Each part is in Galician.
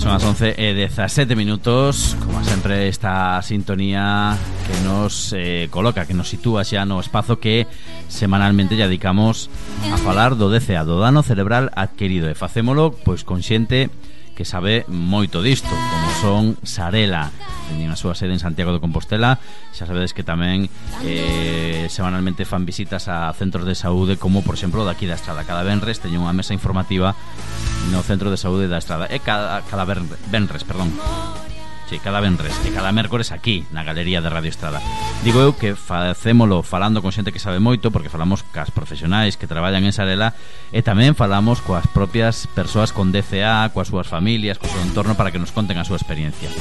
Son as 11:17. Como sempre, esta sintonía que nos coloca, que nos sitúa xa no espazo que semanalmente ya dedicamos a falar do DCA, do dano cerebral adquirido, e facémolo pois con xente que sabe moito disto, como son Sarela. Teñen a súa sede en Santiago de Compostela. Xa sabedes que tamén semanalmente fan visitas a centros de saúde, como por exemplo daqui da Estrada. Cada venres teñen unha mesa informativa no centro de saúde da Estrada. Cada venres, perdón. Sí, cada venres e cada mércores aquí na Galería de Radio Estrada. Digo eu que facémolo falando con xente que sabe moito, porque falamos cas profesionais que traballan en Sarela, e tamén falamos coas propias persoas con DCA, coas súas familias, co seu entorno, para que nos conten a súa experiencia.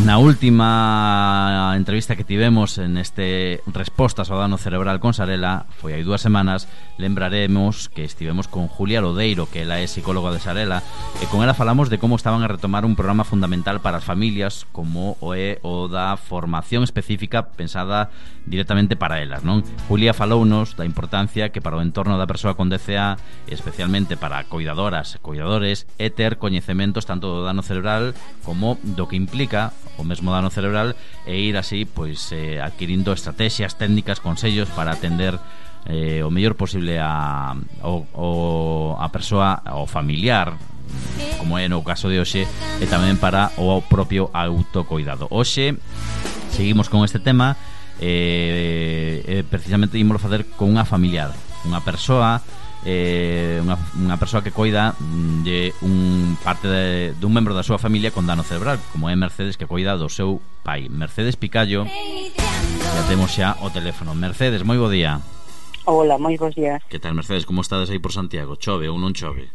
Na última entrevista que tivemos en este Respostas ao dano cerebral con Sarela, foi hai 2 semanas. Lembraremos que estivemos con Julia Lodeiro, que ela é psicóloga de Sarela, e con ela falamos de como estaban a retomar un programa fundamental para as familias, como o da formación específica pensada directamente para elas, non? Julia falounos da importancia que para o entorno da persoa con DCA, especialmente para coidadoras e coidadores, é ter coñecementos tanto do dano cerebral como do que implica o mesmo dano cerebral, e ir así pois adquirindo estrategias, técnicas, consellos para atender o mellor posible a persoa, ao familiar, como é no caso de hoxe, e tamén para o propio autocoidado. Hoxe seguimos con este tema, precisamente ímolo facer con unha familiar, unha persoa, unha persoa que coida de dun membro da súa familia con dano cerebral, como é Mercedes, que coida do seu pai. Mercedes Picallo, ya temos xa o teléfono. Mercedes, moi bo día. Hola, moi bons días. Que tal, Mercedes, como estades aí por Santiago? Chove ou non chove?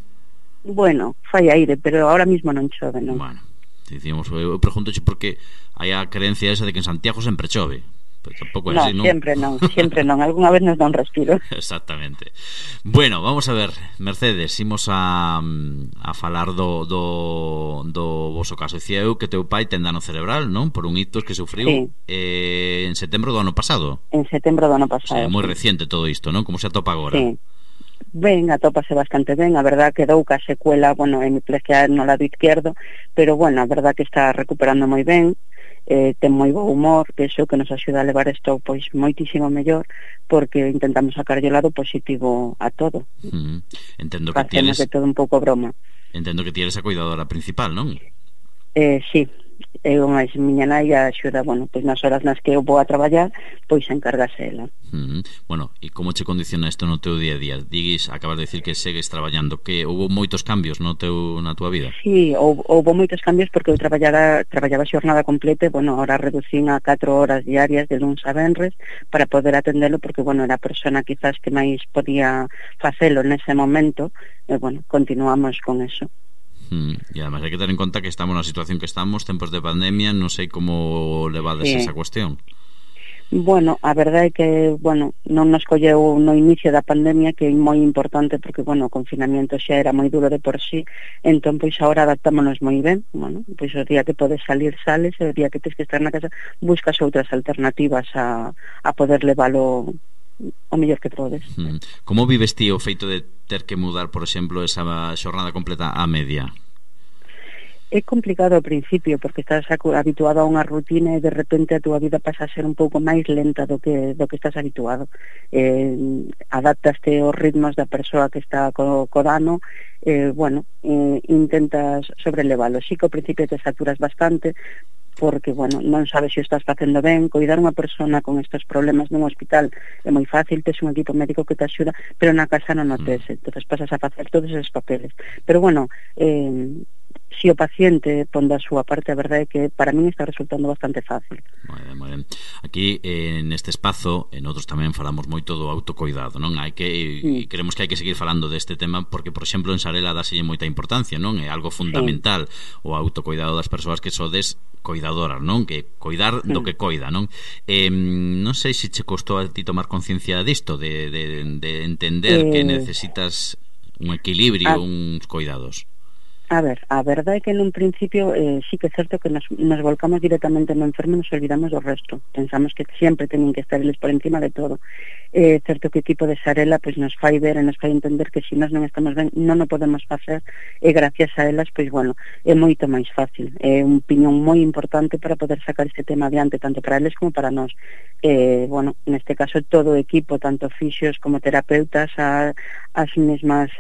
Bueno, fai aire, pero ahora mismo non chove, non? Bueno, dicimos, eu preguntoche porque hai a creencia esa de que en Santiago sempre chove. Pero tampouco é así, non? Sempre non, algunha vez nos dá un respiro. Exactamente. Bueno, vamos a ver, Mercedes, imos a falar do voso caso. Dicía eu que teu pai ten dano cerebral, non? Por un ictus que sufriu, sí, en setembro do ano pasado. En setembro do ano pasado. O sea, moi reciente todo isto, non? Como se atopa agora? Sí. Ben, atópase bastante ben. A verdad que dou ca secuela, hemiplegia no lado izquierdo, pero bueno, a verdad que está recuperando moi ben. Ten moi bo humor, que iso que nos axuda a levar isto pois moitísimo mellor, porque intentamos sacarlle o lado positivo a todo. Entendo que tienes de todo un pouco broma. Entendo que tienes a cuidadora principal, non? Sí, eu máis miña nai axuda, pois nas horas nas que eu vou a traballar, pois encárgase ela. Bueno, e como che condiciona isto no teu día a día? Acabas de dicir que segues traballando, que houve moitos cambios na túa vida? Sí, houve moitos cambios, porque eu traballaba xornada completa, ahora reducín a 4 horas diarias de luns a venres para poder atendelo, porque era a persona quizás que máis podía facelo nese momento, e continuamos con eso. E además hai que ter en conta que estamos na situación que estamos, tempos de pandemia, non sei como levades esa cuestión. A verdade é que, non nos colleu no inicio da pandemia, que é moi importante, porque, o confinamiento xa era moi duro de por sí, entón, pois, agora adaptámonos moi ben, pois, o día que podes salir, sales, e o día que tens que estar na casa, buscas outras alternativas a poder levalo o mellor que podes. Como vives ti o feito de ter que mudar, por exemplo, esa xornada completa á media? É complicado ao principio, porque estás habituado a unha rutina e de repente a túa vida pasa a ser un pouco máis lenta do que estás habituado. Adaptaste aos ritmos da persoa que está co dano, intentas sobrelevalo. Sí que ao principio te saturas bastante, porque, non sabes se o estás facendo ben. Coidar unha persona con estes problemas nun hospital é moi fácil, tes un equipo médico que te axuda, pero na casa non o tes, entonces pasas a facer todos esos papeles. Pero, se o paciente pon da súa parte, a verdade é que para min está resultando bastante fácil. Moi ben. Aquí, neste espazo, en outros tamén falamos moito do autocoidado, non? Queremos que hai que seguir falando deste tema, porque, por exemplo, en Sarela dáselle moita importancia, non? É algo fundamental, o autocoidado das persoas que sodes coidadoras, non? Que coidar do que coida, non? Non sei se che costou a ti tomar conciencia disto, de entender que necesitas un equilibrio, uns coidados. A verdade é que nun principio sí que é certo que nos volcamos directamente no enfermo e nos olvidamos do resto. Pensamos que sempre teñen que estar eles por encima de todo. certo que o equipo de Sarela pois nos fai ver e nos fai entender que se nós non estamos ben non o podemos facer, e gracias a elas pois bueno, é moito máis fácil, é un piñón moi importante para poder sacar este tema adiante tanto para eles como para nós. Bueno, neste caso todo o equipo, tanto fisios como terapeutas, as mesmas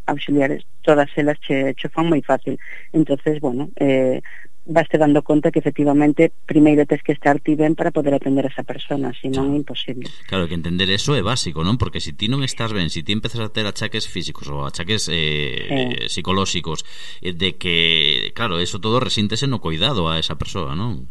auxiliares, todas elas che fan moi fácil. Entonces, bueno, vaste dando conta que efectivamente primeiro tes que estar ti ben para poder atender a esa persona, senón é imposible. Claro, que entender eso é básico, non? Porque se ti non estás ben, se ti empezas a ter achaques físicos ou achaques psicolóxicos, de que, claro, eso todo resíntese no cuidado a esa persoa, non?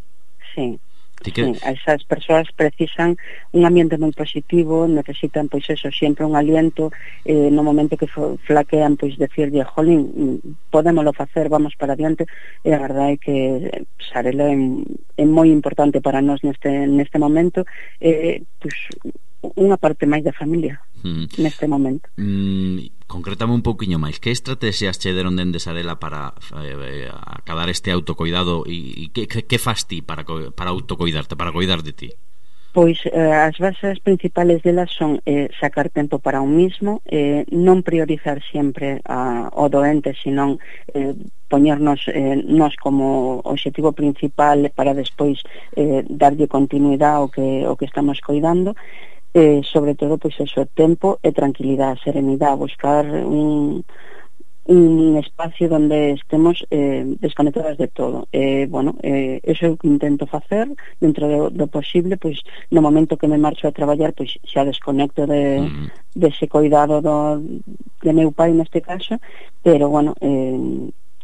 Sí. Sí, esas persoas precisan un ambiente moi positivo, necesitan pois eso, sempre un aliento, no momento que flaquean, pois decirlle, jolín, podémolo facer, vamos para adiante, e a verdade é que Sarela é moi importante para nós neste momento, pois unha parte máis da familia neste momento. Concrétame un pouquiño máis, que estrategias che deron dende Sarela para acadar este autocoidado e que fas ti para autocoidarte, para coidar de ti? Pois as bases principales delas son sacar tempo para un mismo, non priorizar sempre o doente, senón poñernos nós como objetivo principal para despois darlle continuidade ao que estamos coidando. Sobre todo, pois eso, tempo e tranquilidade, serenidade, buscar un espacio onde estemos desconectadas de todo. Bueno, eso é o que intento facer dentro do posible, pois no momento que me marcho a traballar, pois xa desconecto dese cuidado de meu pai neste caso, pero bueno,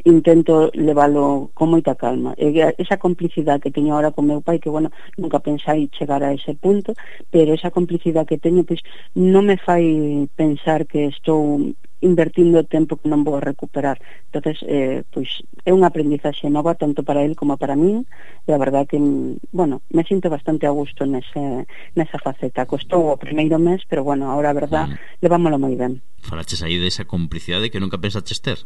intento leválo con moita calma. Esa complicidade que teño ahora con meu pai, que bueno, nunca pensei chegar a ese punto, pero esa complicidade que teño pois non me fai pensar que estou invertindo tempo que non vou recuperar. Entonces, pois é unha aprendizaxe nova tanto para él como para min, e a verdade que, bueno, me sinto bastante a gusto nesa faceta. Costou o primeiro mes, pero bueno, ahora a verdade levámolo moi ben. Falaches aí desa complicidade que nunca pensaches ter,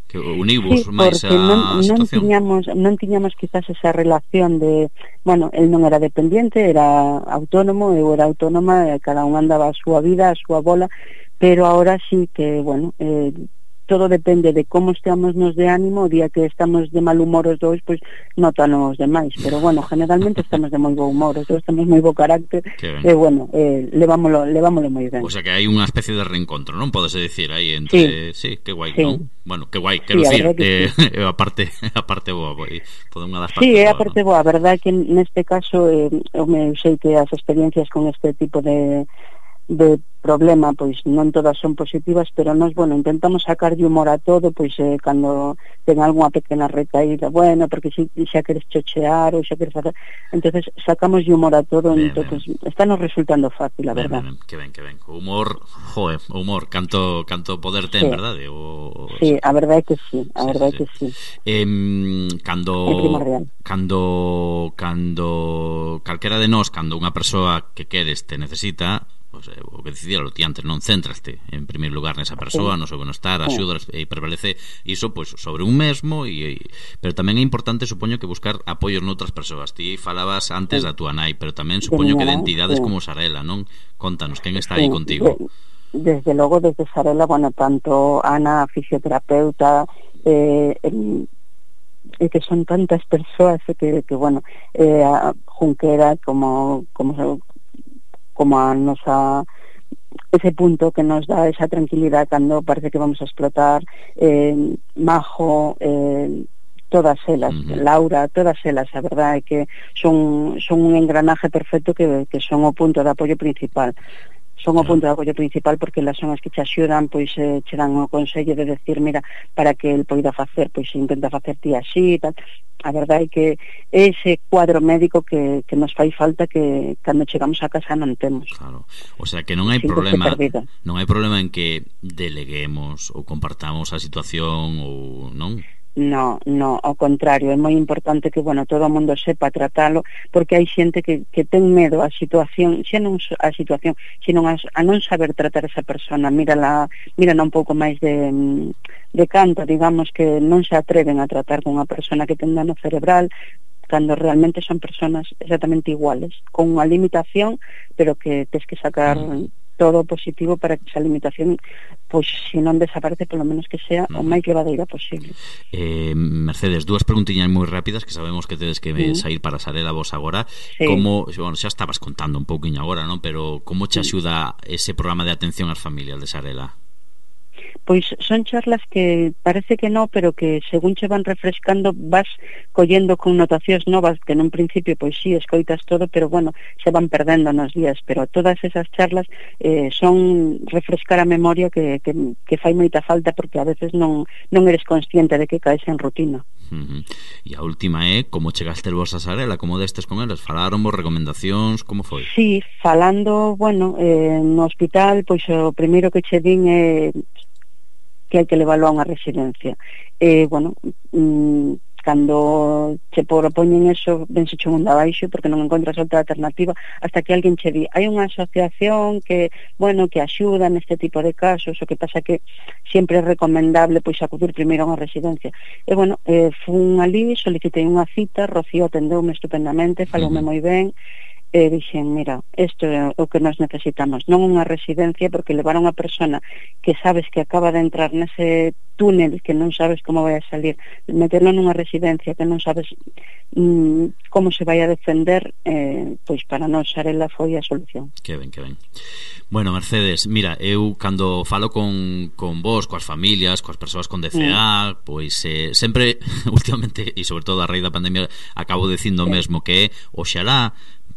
que univos máis a situación. Non tiñamos quizás esa relación de, bueno, el non era dependiente, era autónomo, eu era autónoma, cada un andaba a súa vida, a súa bola, pero ahora sí que, bueno, todo depende de como estamos nos de ánimo. O día que estamos de mal humor os dous, pois notanos demais, pero bueno, generalmente estamos de moi bo humor, os dous temos moi bo carácter, e bueno, levámolo moi ben. O sea que hai unha especie de reencontro, non? Podese dicir aí entre, sí, que guai, non? Bueno, que guai, quero dicir, a parte boa, toda unha das partes. Sí, é a parte boa, a verdade que neste caso eu sei que as experiencias con este tipo de problema, pois non todas son positivas, pero nós, bueno, intentamos sacar de humor a todo, pois cando ten algunha pequena recaída, bueno, porque xa queres chochear ou xa queres facer, entonces sacamos de humor a todo, entonces está nos resultando fácil, a verdade. Que ben. O humor, o humor, canto poder ten, verdade? Sí, a verdade é que sí, a verdade é que sí. Cando calquera de nós, cando unha persoa que queres te necesita, pues, o que dicíalo ti antes, non céntraste en primeiro lugar nesa persoa, no seu benestar, axudas e prevalece iso pois sobre un mesmo, pero tamén é importante, supoño, que buscar apoios noutras persoas. Ti falabas antes da túa nai, pero tamén supoño que de entidades como Sarela, non? Contanos, quen está aí contigo? Desde logo, desde Sarela, bueno, tanto Ana, fisioterapeuta, que son tantas persoas que bueno, Junquera como a nosa, ese punto que nos dá esa tranquilidade cando parece que vamos a explotar, Majo, todas elas, Laura, todas elas, a verdade é que son un engranaje perfecto que son o punto de apoio principal. Son o punto de apoio principal porque elas son as que te axudan, pois che dan o consello de decir, mira, para que el poida facer, pois intenta facer ti así e tal. A verdade é que ese cuadro médico que nos fai falta, que cando chegamos a casa non temos. Claro, o sea que non hai problema en que deleguemos ou compartamos a situación ou non? No, ao contrario, é moi importante que, bueno, todo o mundo sepa tratalo, porque hai xente que ten medo a situación, xa non a situación, sino a non saber tratar esa persona. Mírala un pouco máis de canto, digamos, que non se atreven a tratar con unha persona que ten dano cerebral, cando realmente son personas exactamente iguales, con unha limitación, pero que tes que sacar todo positivo para que esa limitación, pois, se non desaparece, polo menos que sea o máis levadeira posible. Mercedes, dúas preguntiñas moi rápidas, que sabemos que tedes que sair para Sarela vos agora. Sí. Como, bueno, xa estabas contando un pouquiño agora, non? Pero como che axuda ese programa de atención ás familias de Sarela? Pois son charlas que parece que no, pero que según che van refrescando vas collendo connotacións novas que nun principio pois sí, escoitas todo, pero bueno, se van perdendo nos días, pero todas esas charlas son refrescar a memoria que fai moita falta, porque a veces non eres consciente de que caes en rutina. E a última é como chegaste vos a Sarela, como destes con eles, falaron vos recomendacións, como foi? Sí, falando, bueno, no hospital, pois o primeiro que che din é que hai que leválo a unha residencia. Bueno, cando che propoñen eso, vense che mundo abaixo, porque non encontras outra alternativa, hasta que alguén che di, hai unha asociación que, bueno, que axuda neste tipo de casos, o que pasa que sempre é recomendable pois acudir primeiro a unha residencia. E bueno, fun ali, solicitei unha cita, Rocío atendeume estupendamente, faloume moi ben, e dixen, mira, isto é o que nos necesitamos, non unha residencia, porque levar a unha persona que sabes que acaba de entrar nese túnel que non sabes como vai a salir, meterlo nunha residencia que non sabes como se vai a defender, pois para nós Sarela foi a solución. Que ben, que ben. Bueno, Mercedes, mira, eu cando falo con vos, coas familias, coas persoas con DCA, pois sempre, últimamente, e sobre todo a raíz da pandemia, acabo dicindo o mesmo, que é, oxalá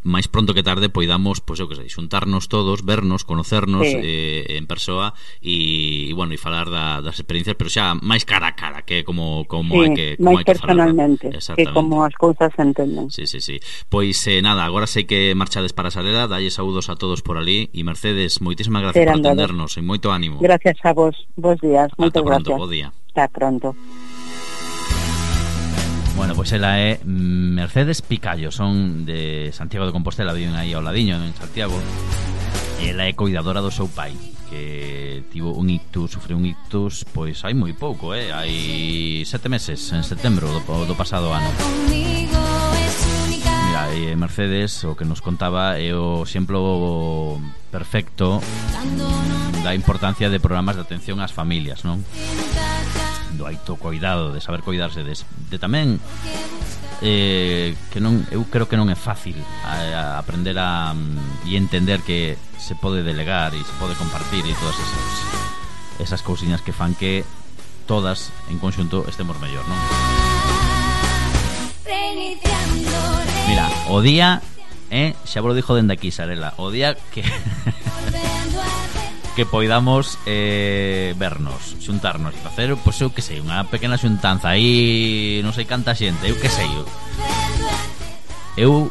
máis pronto que tarde poidamos, pois eu que sei, xuntarnos todos, vernos, conocernos en persoa e bueno, e falar das experiencias, pero xa máis cara a cara, que como hai que como máis personalmente, que como as cousas se entenden. Sí. Pois nada, agora sei que marchades para Sarela, dalle saúdos a todos por ali e Mercedes, moitísimas gracias por atendernos e moito ánimo. Gracias a vos, bos días, moitas gracias. Bo día. Hasta pronto. Bueno, pois ela é Mercedes Picallo, son de Santiago de Compostela, viven aí ao ladiño en Santiago. Ela é coidadora do seu pai, que tivo un ictus, sufriu un ictus, pois hai moi pouco, hai 7 meses, en setembro do pasado ano. Mira, Mercedes, o que nos contaba é o exemplo perfecto da importancia de programas de atención ás familias, non? Do autocoidado, de saber coidarse, de tamén que non, eu creo que non é fácil aprender e entender que se pode delegar e se pode compartir e todas esas cousiñas que fan que todas en conxunto estemos mellor, non? Mira, o día xa vos lo dixo dende aquí Sarela, o día que que poidamos vernos, xuntarnos e facer, pois eu que sei, unha pequena xuntanza aí, non sei canta xente, eu que sei. Eu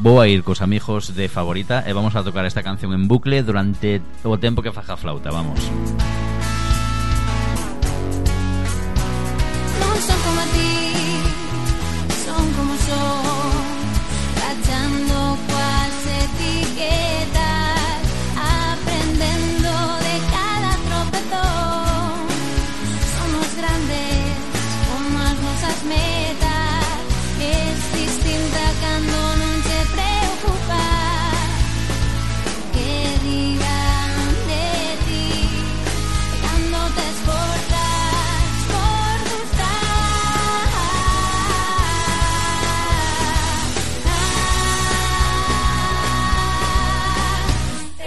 vou a ir cos amigos de Favorita e vamos a tocar esta canción en bucle durante o tempo que faja a flauta, vamos. Non son como a ti, son como son, rachando coas etiquetas, aprendendo de cada tropezón. Somos grandes como as nosas metas, es distinta cando non te preocupas que digan de ti cando te esforzas por gustar.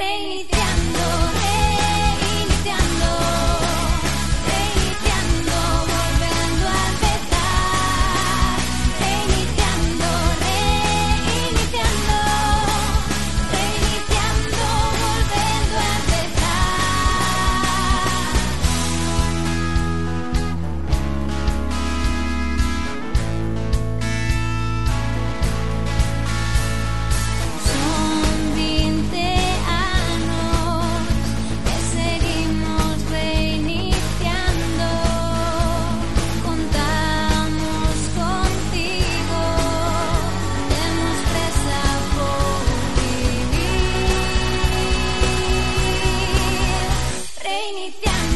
Reiniciando, reiniciando, reiniciando, volviendo a empezar. Reiniciando, reiniciando, reiniciando, volviendo a empezar. Son 20 anos que seguimos reiniciando. Contamos contigo, temos presa por vivir. Reiniciando.